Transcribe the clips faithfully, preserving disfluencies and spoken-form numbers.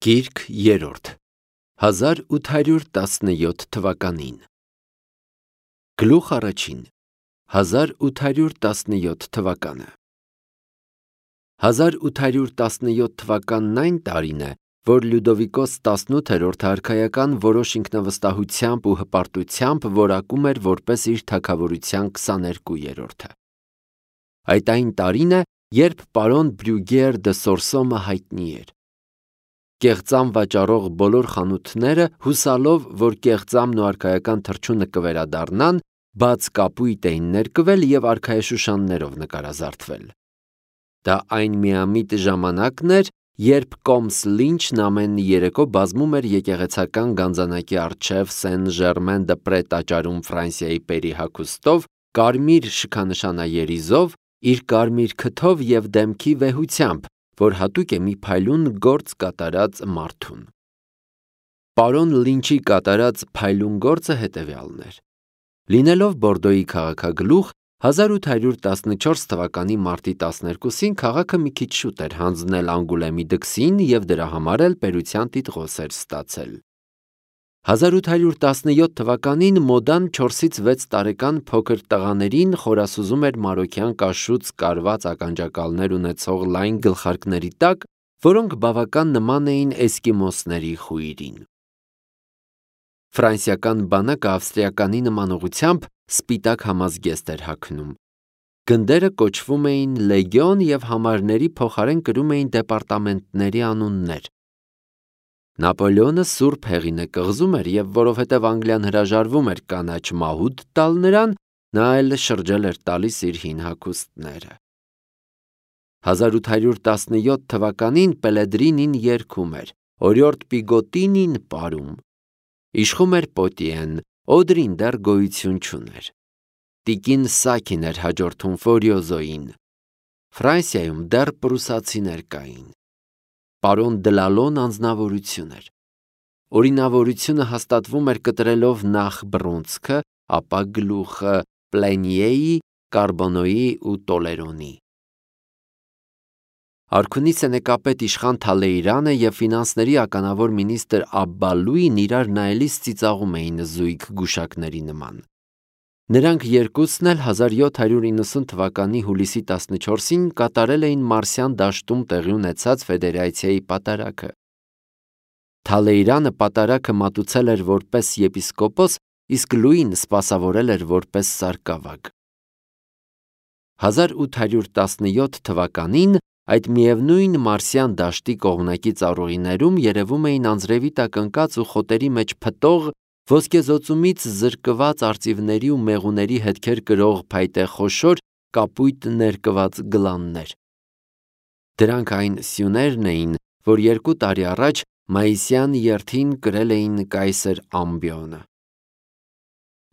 Գիրք երրորդ հազար ութ հարյուր տասնյոթ թվականին Գլուխ առաջին հազար ութ հարյուր տասնյոթ թվականը հազար ութ հարյուր տասնյոթ թվականն այն տարին է, որ Լյուդովիկոս տասնութերորդը արքայական որոշ ինքնավստահությամբ ու հպարտությամբ որակում էր որպես իր թագավորության քսաներկուերորդը։ Այդ այն տարին է, երբ պարոն Բրյուգեր դը Սորսոմը հայտնի էր։ Կեղծամ վաճառող բոլոր խանութները, հուսալով, որ կեղծամն ու արքայական թռչունը կվերադառնան, բաց կապույտ էին ներկվել և արքայաշուշաններով նկարազարդվել։ Դա այն միամիտ ժամանակն էր, երբ Կոմս Լինչն ամեն երեկո բազմում էր եկեղեցական գանձանակի առջև Սեն Ժերմեն դը Պրե տաճարում Ֆրանսիայի պերի հագուստով, կարմիր շքանշանաերիզով, իր կարմիր քթով և դեմքի վեհությամբ, որ հատուկ է մի փայլուն գործ կատարած մարդուն։ Պարոն Լինչի կատարած փայլուն գործը հետևյալն էր. Լինելով Բորդոյի քաղաքագլուխ, հազար ութ հարյուր տասնչորս թվականի մարտի տասներկուսին քաղաքը մի քիչ շուտ էր հանձնել Անգուլեմի դքսին և դրա համար էլ պետության տիտղոս էր ստացել։ հազար ութ հարյուր տասնյոթ թվականին մոդան չորսից վեց տարեկան փոքր տղաներին խորասուզում էր մարոկյան կաշուց կարված ականջակալներ ունեցող լայն գլխարկների տակ, որոնք բավական նման էին էսկիմոսների խույրին։ Ֆրանսիական բանակը ավստրիականի նմանողությամբ սպիտակ համազգեստ էր հագնում։ Գնդերը կոչվում էին լեգիոն և համարների փոխարեն կրում էին դեպարտամենտների անուններ։ Նապոլեոնը սուրբ հեղինը կղզում էր և որովհետև Անգլիան հրաժարվում էր կանաչ մահուդ տալ նրան, նա էլ շրջել էր տալիս իր հին հագուստները։ հազար ութ հարյուր տասնյոթ թվականին Պելեդրինին երգում էր, օրիորդ Պիգոտինին պարում։ Իշխում էր Պոտիեն, Օդրին դեռ գոյություն չուներ։ Տիկին Սաքին էր հաջորդում Ֆորիոզոյին։ Ֆրանսիայում դեռ պրուսացիներ կային։ Պարոն Դլալոն անձնավորություն էր։ Օրինավորությունը հաստատվում էր կտրելով նախ բռունցքը, ապա գլուխը Պլենիեի, Կարբոնոյի ու Տոլերոնի։ Արքունի սենեկապետ իշխան Թալեյրանը և ֆինանսների ականավոր մինիստրը Աբբալուին իրար նայելիս ծիծաղում էին զույգ գուշակների նման։ Նրանք երկուսն էլ հազար յոթ հարյուր իննսուն թվականի հուլիսի տասնչորսին կատարել էին Մարսյան դաշտում տեղի ունեցած ֆեդերացիայի պատարագը։ Թալեյրանը պատարագը մատուցել էր որպես եպիսկոպոս, իսկ Լուին սպասավորել էր որպես սարկավագ։ հազար ութ հարյուր տասնյոթ թվականին այդ միևնույն Մարսյան դաշտի կողմնակի ծառուղիներում երևում էին անձրևի տակ ընկած ու խոտերի մեջ փտող, ոսկեզօծումից զրկված արծիվների ու մեղուների հետքեր կրող փայտե խոշոր կապույտ ներկված գլաններ։ Դրանք այն սյուներն էին, որ երկու տարի առաջ մայիսյան երթին կրել էին կայսր Ամբիոնը։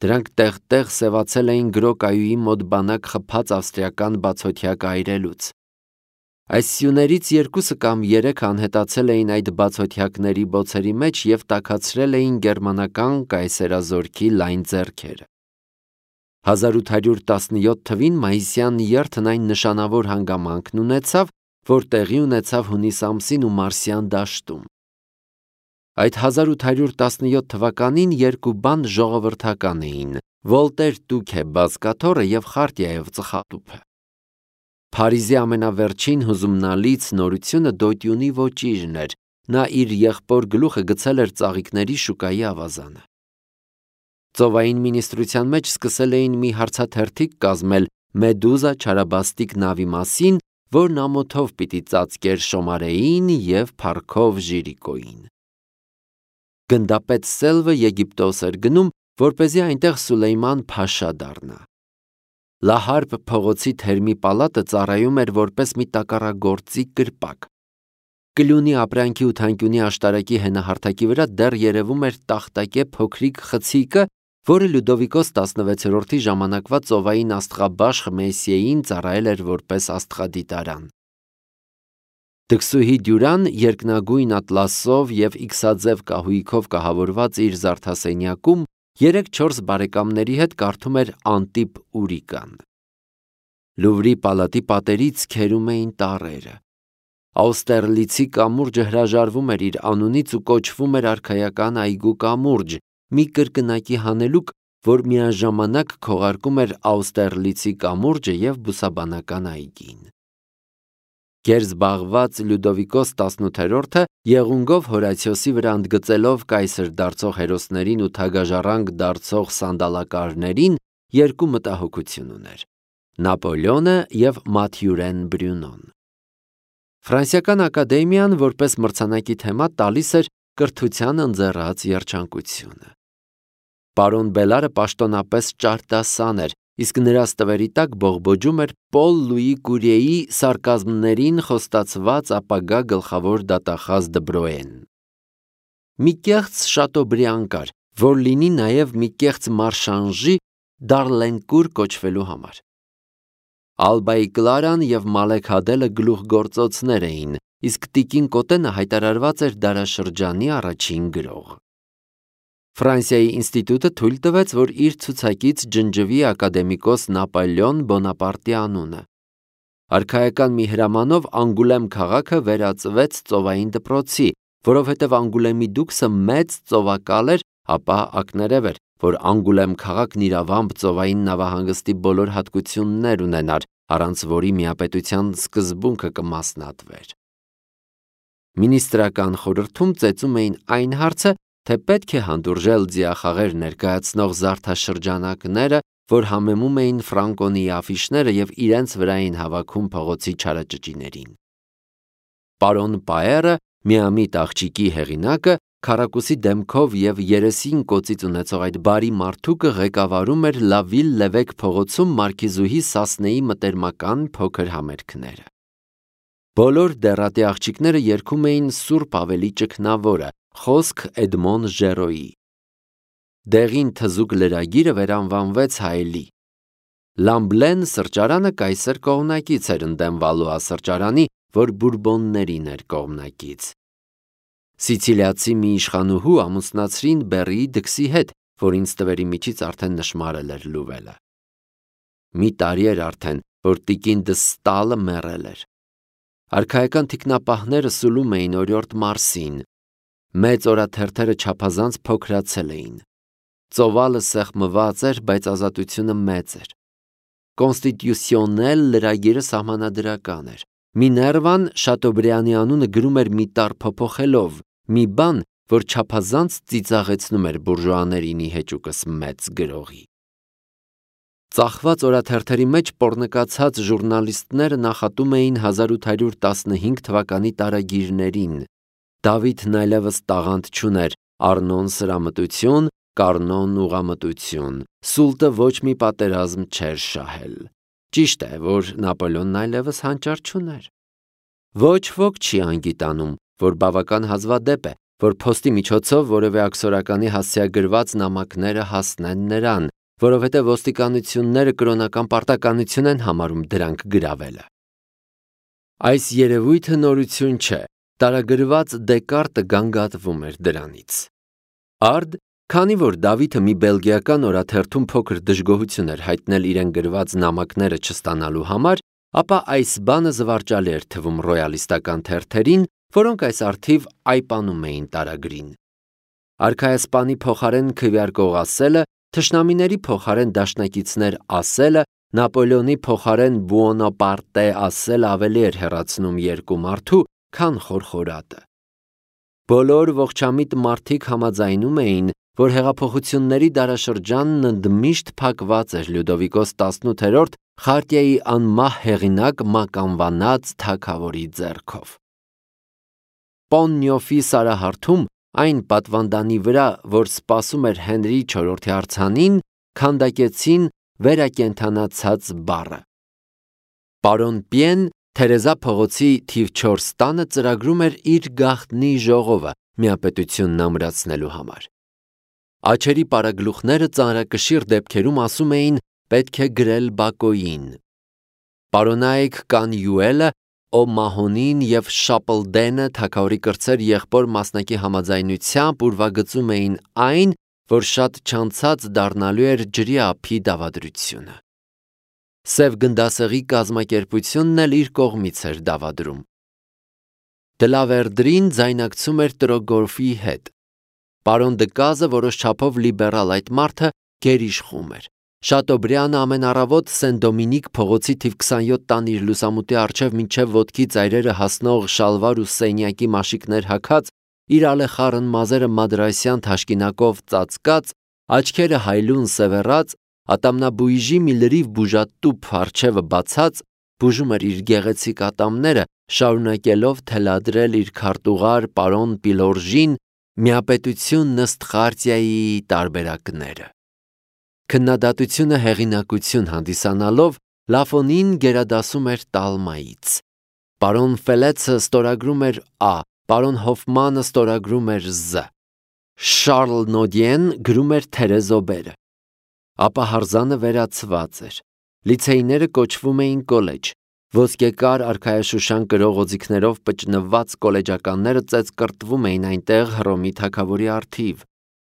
Դրանք տեղ-տեղ սևացել էին գրոկայուի մոտ բանակ խփած ավստրիական բացօթյա կայրելուց։ Այս սյուներից երկուսը կամ երեքը անհետացել էին այդ բացօթյակների բոցերի մեջ և տաքացրել էին գերմանական կայսերազորքի լայն ձեռքերը։ հազար ութ հարյուր տասնյոթ թվին մայիսյան երթն այն նշանավոր հանգամանքն ունեցավ, որ տեղի ունեցավ հունիս ամսին ու Մարսյան դաշտում։ Այդ հազար ութ հարյուր տասնյոթ թվականին երկու բան ժողովրդական էին՝ Վոլտեր Տուքե բազկաթոռը և Խարտիայով ծխատուփը։ Փարիզի ամենավերջին հուզումնալից նորությունը դոյտյունի ոճիրն էր, նա իր եղբոր գլուխը գցել էր ծաղիկների շուկայի ավազանը։ Ծովային մինիստրության մեջ սկսել էին մի հարցաթերթիկ կազմել Մեդուզա չարաբաստիկ նավի մասին, որն ամոթով պիտի ծածկեր Շոմարեին և փառքով Ժիրիկոյին։ Գնդապետ Սելվը Եգիպտոս էր գնում, որպեսզի այնտեղ Սուլեյման փաշա դառնա։ Լահարբ փողոցի թերմի պալատը ծառայում էր որպես մի տակառագործի կրպակ։ Կլյունի ապրանքի ու թանկյունի աշտարակի հենահարթակի վրա դեռ երևում էր տախտակե փոքրիկ խցիկը, որը Լյուդովիկոս տասնվեցերորդի ժամանակվա ծովային աստղաբաշխ Մեսսիեին ծառայել էր որպես աստղադիտարան։ Դքսուհի Դյուրան երկնագույն ատլասով և իքսաձև կահույքով կահավորված իր զարդասենյակում երեք-չորս բարեկամների հետ կարդում էր Անտիպ Ուրիկան։ Լուվրի պալատի պատերից քերում էին տառերը։ Աուստերլիցի կամուրջը հրաժարվում էր իր անունից ու կոչվում էր արքայական այգու կամուրջ, մի կրկնակի հանելուկ, որ միաժամանակ քողարկում էր Աուստերլիցի կամուրջը և բուսաբանական այգին։ Գերզբաղված Լյուդովիկոս տասնութերորդը եղունգով Հորացիոսի վրա ընդգծելով կայսր դարձող հերոսներին ու թագաժառանգ դարձող սանդալակարներին երկու մտահոգություն ուներ՝ Նապոլեոնը և Մաթյուրեն Բրյունոն։ Ֆրանսիական ակադեմիան որպես մրցանակի թեմա տալիս էր կրթության ընձեռած երջանկությունը։ Պարոն Բելարը պաշտոնապես ճարտասան էր, իսկ նրա ստվերի տակ բողբոջում էր Պոլ Լուի Կուրիեի սարկազմներին խոստացված ապագա գլխավոր դատախազ Դբրոեն։ Մի կեղծ Շատոբրիան կար, որ լինի նաև մի կեղծ Մարշանժի Դարլենկուր կոչվելու համար։ Ալբայի Կլարան և Մալեք Հադելը գլուխգործոցներ էին, իսկ տիկին Կոտենը հայտարարված էր դարաշրջանի առաջին գրող։ Ֆրանսիայի ինստիտուտը թույլ տվեց, որ իր ցուցակից ջնջվի ակադեմիկոս Նապոլեոն Բոնապարտի անունը։ Արքայական մի հրամանով Անգուլեմ քաղաքը վերածվեց ծովային դպրոցի, որովհետև Անգուլեմի դուքսը մեծ ծովակալ էր, ապա ակներև էր, որ Անգուլեմ քաղաքն իրավամբ ծովային նավահանգստի բոլոր հատկություններ ունենար, առանց որի միապետության սկզբունքը կմասնատվեր։ Մինիստրական խորհրդում ծեծում էին այն հարցը, թե պետք է հանդուրժել ձիախաղեր ներկայացնող զարդաշրջանակները, որ համեմում էին Ֆրանկոնի աֆիշները և իրենց վրա էին հավաքում փողոցի չարաճճիներին։ Պարոն Պաերը, միամիտ աղջիկի հեղինակը, քառակուսի դեմքով և երեսին կոծից ունեցող այդ բարի մարդուկը ղեկավարում էր Լավիլ Լևեկ փողոցում մարքիզուհի Սասնեի մտերմական փոքր համերգները։ Բոլոր դեռատի աղջիկները երգում էին Սուրբ Ավելի ճգնավորը, խոսք Էդմոն Ժերոյի։ Դեղին թզուկ լրագիրը վերանվանվեց հայելի։ Լամբլեն սրճարանը կայսեր կողմնակից էր ընդդեմ Վալուա սրճարանի, որ բուրբոններին էր կողմնակից։ Սիցիլիացի մի իշխանուհու ամուսնացրին Բեռիի դքսի հետ, որին ստվերի միջից արդեն նշմարել էր լուվելը։ Մի տարի էր արդեն, որ տիկին Դստալը մեռել էր։ Արքայական թիկնապահները սուլում էին օրիորդ Մարսին։ Մեծ օրաթերթերը չափազանց փոքրացել էին։ Ծովալը սեղմված էր, բայց ազատությունը մեծ էր։ Կոնստիտուցիոնել լրագիրը սահմանադրական էր։ Միներվան Շատոբրիանի անունը գրում էր մի տառ փոփոխելով, մի բան, որ չափազանց ծիծաղեցնում էր բուրժուաներին հեճուկս մեծ գրողի։ Ծախված օրաթերթերի մեջ պոռնկացած ժուրնալիստները նախատում էին հազար ութ հարյուր տասնհինգ թվականի տարագիրներին։ Դավիթն այլևս տաղանդ չուներ, Արնոն սրամտություն, Կարնոն ուղամտություն, Սուլտը ոչ մի պատերազմ չէր շահել։ Ճիշտ է, որ Նապոլեոնն այլևս հանճար չուներ։ Ոչ ոք չի անգիտանում, որ բավական հազվադեպ է, որ փոստի միջոցով որևէ աքսորականի հասցեագրված նամակները հասնեն նրան, որովհետև ոստիկանությունները կրոնական պարտականություն են համարում դրանք գրավելը։ Այս երևույթը նորություն չէ, տարագրված Դեկարտը գանգատվում էր դրանից։ Արդ, քանի որ Դավիթը մի բելգիական օրաթերթում փոքր դժգոհություն էր հայտնել իրեն գրված նամակները չստանալու համար, ապա այս բանը զվարճալի էր թվում ռոյալիստական թերթերին, որոնք այս առթիվ այպանում էին տարագրին։ Արքայասպանի փոխարեն քվեարկող ասելը, թշնամիների փոխարեն դաշնակիցներ ասելը, Նապոլեոնի փոխարեն Բուոնապարտե ասելը ավելի էր հեռացնում երկու մարդու, քան խորխորատը։ Բոլոր ողջամիտ մարդիկ համաձայնում էին, որ հեղափոխությունների դարաշրջանն ընդմիշտ փակված էր Լյուդովիկոս տասնութերորդ խարտիայի անմահ հեղինակ մականվանած թագավորի ձեռքով։ Պոննյոֆի սարահարթում այն պատվանդանի վրա, որ սպասում էր Հենրի չորրորդի արձանին, քանդակեցին վերակենդանացած բառը։ Պարոն Պիեն Թերեզա փողոցի թիվ չորս տանը ծրագրում էր իր գաղտնի ժողովը միապետությունն ամրացնելու համար։ Աչերի պարագլուխները ծանրակշիռ դեպքերում ասում էին պետք է գրել Բակոյին։ Պարոնայք Կանյուելը, Օմահոնին և Շապլդենը թագավորի կրտսեր եղբոր մասնակի համաձայնությամբ ուրվագծում էին այն, որ շատ չանցած դառնալու էր ջրի ափի դավադրությունը։ Սև գնդասեղի կազմակերպությունն էլ իր կողմից էր դավադրում։ Դլավերդրին ձայնակցում էր Տրոգորֆի հետ։ Պարոն Դկազը որոշ չափով լիբերալ այդ մարդը գերիշխում էր։ Շատոբրյանը ամեն առավոտ Սեն Դոմինիկ փողոցի թիվ քսանյոթ տան իր լուսամուտի առջև մինչև ոտքի ծայրերը հասնող շալվար ու սենյակի մաշիկներ հագած, իր ալեխառն մազերը մադրասյան թաշկինակով ծածկած, աչքերը հայլուն սևեռած, ատամնաբույժի մի լրիվ բուժատուփ առջևը բացած, բուժում էր իր գեղեցիկ ատամները, շարունակելով թելադրել իր քարտուղար պարոն Պիլորժին միապետություն ըստ խարտիայի տարբերակները։ Քննադատությունը հեղինակություն հանդիսանալով Լաֆոնին գերադասում էր Տալմայից։ Պարոն Ֆելեցը ստորագրում էր Ա, պարոն Հոֆմանը ստորագրում էր Զ, Շարլ Նոդիեն գրում էր Թերեզոբերը։ Ապա հարզանը վերացված էր։ Լիցեյները կոչվում էին կոլեջ։ Ոսկեկար արքայաշուշան կրող օձիքներով պճնված կոլեջականները ծեծկռտվում էին այնտեղ Հռոմի թագավորի առթիվ։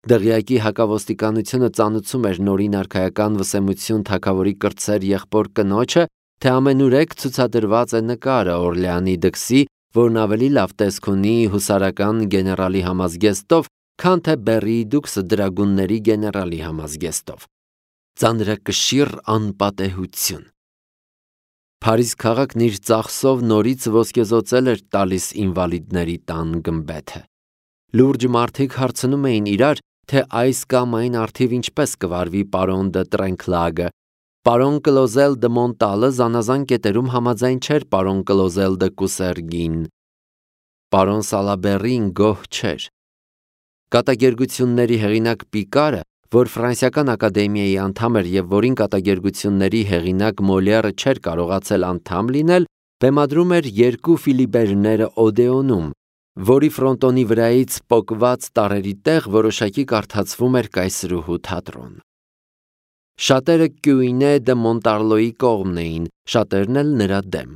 Դղյակի հակավոստիկանությունը ծանուցում էր նորին արքայական վսեմություն թագավորի կրտսեր եղբոր կնոջը, թե ամենուրեք ցուցադրված է նկարը Օրլեանի դքսի, որն ավելի լավ տեսք ունի հուսարական գեներալի համազգեստով, քան թե Բեռիի դուքսը դրագունների գեներալի համազգեստով։ Ծանրակշիռ անպատեհություն։ Փարիզ քաղաքն իր ծախսով նորից ոսկեզօծել էր տալիս ինվալիդների տան գմբեթը։ Լուրջ մարդիկ հարցնում էին իրար, թե այս կամ այն արդիվ ինչպես կվարվի պարոն դը Տրենքլագը։ Պարոն Կլոզել դը Մոնտալը զանազան կետերում համաձայն չէր պարոն Կլոզել դը Կուսերգին։ Պարոն Սալաբերին գոհ չէր։ Կատակերգությունների հեղինակ Պիկարը, որ Ֆրանսիական ակադեմիայի անդամ էր եւ որին կատակերգությունների հեղինակ Մոլիերը չէր կարողացել անդամ լինել, բեմադրում էր երկու Ֆիլիբերները Օդեոնում, որի ֆրոնտոնի վրայից պոկված տարերի տեղ որոշակի կարդացվում էր կայսրուհու թատրոն։ Շատերը Կյուինե դե Մոնտարլոյի կողմն էին, շատերն էլ նրա դեմ։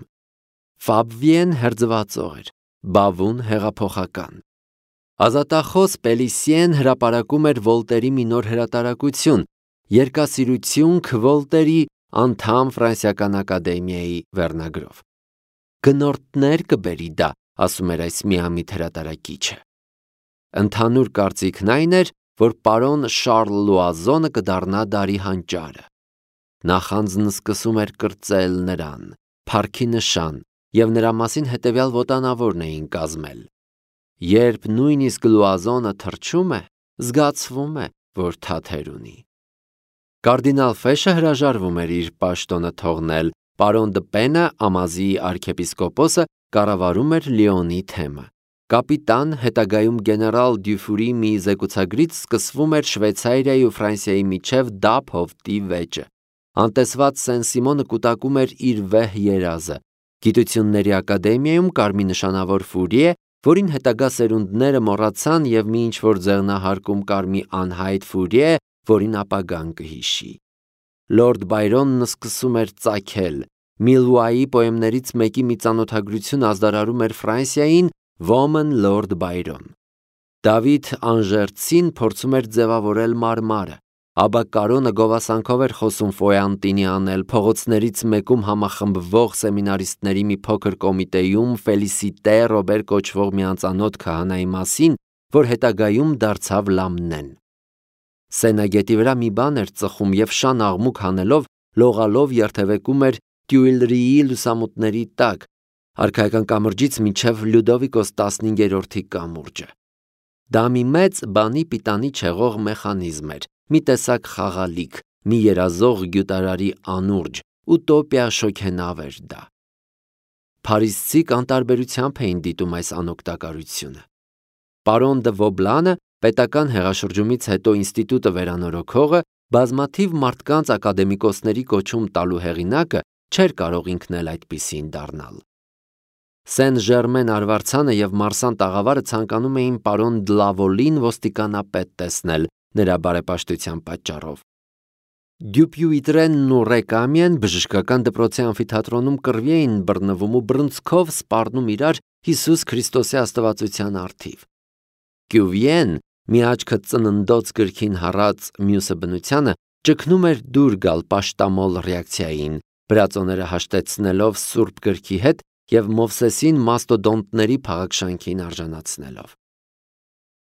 Ֆաբվիեն հերձվածող էր, Բավուն հեղափոխական։ Ազատախոս Պելիսիեն հրապարակում էր Վոլտերի մի նոր հրատարակություն՝ Երկասիրություն Վոլտերի անդամ Ֆրանսիական ակադեմիայի վերնագրով։ Գնորդներ կբերի դա, ասում էր այս միամիտ հրատարակիչը։ Ընդհանուր կարծիքն այն էր, որ պարոն Շարլ Լուազոնը կդառնա դարի հանճարը։ Նախանձն սկսում էր կրծել նրան, փառքի նշան, եւ նրա մասին հետեւյալ ոտանավորն էին կազմել։ Երբ նույնիսկ Լուազոնը թրջում է, զգացվում է, որ թաթեր ունի։ Կարդինալ Ֆեշը հրաժարվում էր իր պաշտոնը թողնել, պարոն դը Պենը, Ամազիի արքեպիսկոպոսը, կառավարում էր Լիոնի թեմը։ Կապիտան, հետագայում գեներալ Դյուֆուրի մի զեկուցագրից սկսվում էր Շվեյցարիայի ու Ֆրանսիայի միջև դափ հովտի վեճը։ Անտեսված Սեն Սիմոնը կուտակում էր իր վեհ երազը։ Գիտությունների ակադեմիայում կար մի նշանավոր Ֆուրիե, որին հետագա սերունդները մոռացան եւ մի ինչ-որ ձեղնահարկում կար մի անհայտ Ֆուրիե, որին ապագան կհիշի։ Լորդ Բայրոնն սկսում էր ծագել։ Միլուայի պոեմներից մեկի մի ծանոթագրություն ազդարարում էր Ֆրանսիային Woman Lord Byron։ Դավիթ Անժերցին փորձում էր ձևավորել մարմարը։ Աբա Կարոնը գովասանքով էր խոսում Ֆոյանտինի անել փողոցներից մեկում համախմբվող սեմինարիստների մի փոքր կոմիտեում Ֆելիսիտե Ռոբեր կոչվող մի անծանոթ քահանայի մասին, որ հետագայում դարձավ Լամնեն։ Սենագետի վրա մի բան էր ծխում եւ շան աղմուկ հանելով լողալով երթևեկում էր Տյուիլրիի լուսամուտների տակ, արքայական կամրջից մինչև Լյուդովիկոս տասնհինգերորդի կամուրջը։ Դա մի մեծ բանի պիտանի չեղող մեխանիզմ էր, մի տեսակ խաղալիք, մի երազող գյուտարարի անուրջ, ուտոպիա շոգենավ էր դա։ Փարիզցիք անտարբերությամբ էին դիտում այս անօգտակարությունը։ Պարոն դը Վոբլանը, պետական հեղաշրջումից հետո ինստիտուտը վերանորոգողը, բազմաթիվ մարդկանց ակադեմիկոսների կոչում տալու հեղինակը, չէր կարող ինքն էլ այդպիսին դառնալ։ Սեն Ժերմեն արվարձանը եւ Մարսան տաղավարը ցանկանում էին պարոն Դլավոլին ոստիկանապետ տեսնել նրա բարեպաշտության պատճառով։ Դյուպյուիտրենն ու Ռեկամիեն բժշկական դպրոցի ամֆիթատրոնում կռվի էին բռնվում ու բռնցքով սպառնում իրար Հիսուս Քրիստոսի աստվածության առթիվ։ Կյուվիեն, մի աչքը ծննդոց գրքին հառած, մյուսը բնությանը, ճգնում էր դուր գալ պաշտամոլ ռեակցիային, բրածոները հաշտեցնելով սուրբ գրքի հետ և Մովսեսին մաստոդոնտների փաղաքշանքին արժանացնելով։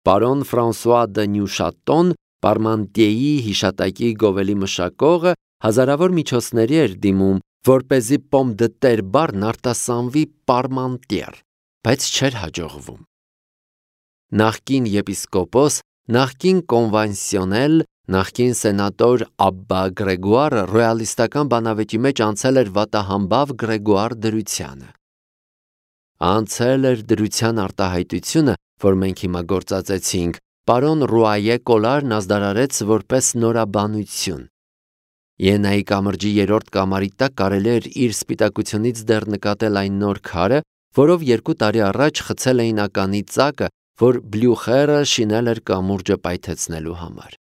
Պարոն Ֆրանսուଆ դը Նյուշատոն, Պարմանտիեի հիշատակի գովելի մշակողը, հազարավոր միջոցների էր դիմում, որպեսզի պոմ դը տեր բառն արտասանվի պարմանտիեր, բայց չէր հաջողվում։ Նախկին եպիսկոպոս, նախկին կոնվանսիոնել, նախկին սենատոր Աբբա Գրեգուարը ռոյալիստական բանավեճի մեջ անցել էր վատահամբավ Գրեգուար դրությանը։ Անցել էր դրության արտահայտությունը, որ մենք հիմա գործածեցինք, պարոն Ռուայե Կոլարն ազդարարեց որպես նորաբանություն։ Իենայի կամրջի երրորդ կամարի տակ կարելի էր իր սպիտակությունից դեռ նկատել այն նոր քարը, որով երկու տարի առաջ խցել էին ականի ծակը, որ Բլյուխերը շինել էր կամուրջը պայթեցնելու համար։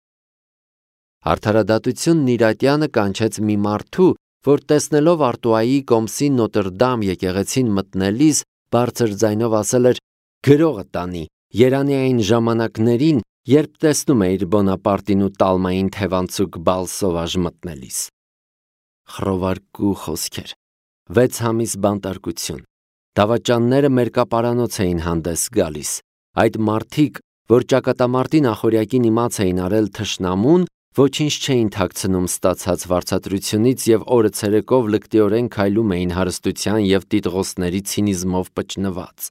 Արդարադատությունն իր ատյանը կանչեց մի մարդու, որ տեսնելով Արտուայի կոմսի Նոտրդամ եկեղեցին մտնելիս բարձր ձայնով ասել էր. «Գրողը տանի, երանի այն ժամանակներին, երբ տեսնում էիր Բոնապարտին ու Տալմային թևանցուկ Բալսովաժ մտնելիս»։ Խռովարկու խոսքեր, վեց ամիս բանտարկություն, դավաճանները մերկապարանոց էին հանդես գալիս, այդ մարդիկ, որ ճակատամարտի նախօրյակին իմաց էին արել թշնամուն, ոչինչ չէին թաքցնում ստացած վարձատրությունից և օրը ցերեկով լկտիորեն քայլում էին հարստության և տիտղոսների ցինիզմով պճնված։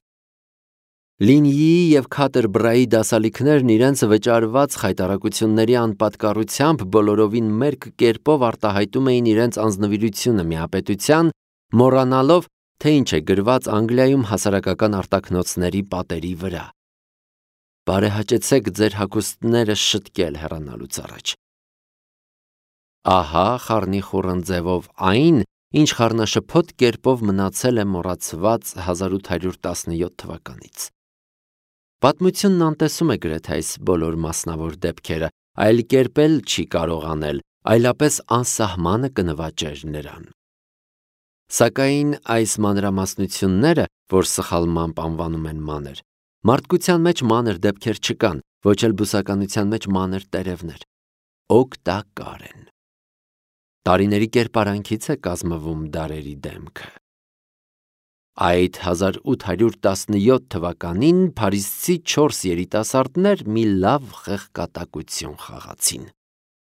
Լինյիի և Քաթերբրայի դասալիքներն իրենց վճարված խայտառակությունների անպատկառությամբ բոլորովին մերկ կերպով արտահայտում էին իրենց անձնվիրությունը միապետության, մոռանալով, թե ինչ է գրված Անգլիայում հասարակական արտաքնոցների պատերի վրա։ Բարեհաճեցեք ձեր հագուստները շտկել հեռանալուց առաջ։ Ահա խառնիխուռն ձևով այն, ինչ խառնաշփոթ կերպով մնացել է մոռացված հազար ութ հարյուր տասնյոթ թվականից։ Պատմությունն անտեսում է գրեթե այս բոլոր մասնավոր դեպքերը, այլ կերպ էլ չի կարող անել, այլապես անսահմանը կնվաճեր նրան։ Սակայն այս մանրամասնությունները, որ սխալմամբ անվանում են մանր, մարդկության մեջ մանր դեպքեր չկան, ոչ էլ բուսականության մեջ մանր տերևներ, օգտակար են։ Տարիների կերպարանքից է կազմվում դարերի դեմքը։ Այդ հազար ութ հարյուր տասնյոթ թվականին փարիզցի չորս երիտասարդներ մի լավ խեղկատակություն խաղացին։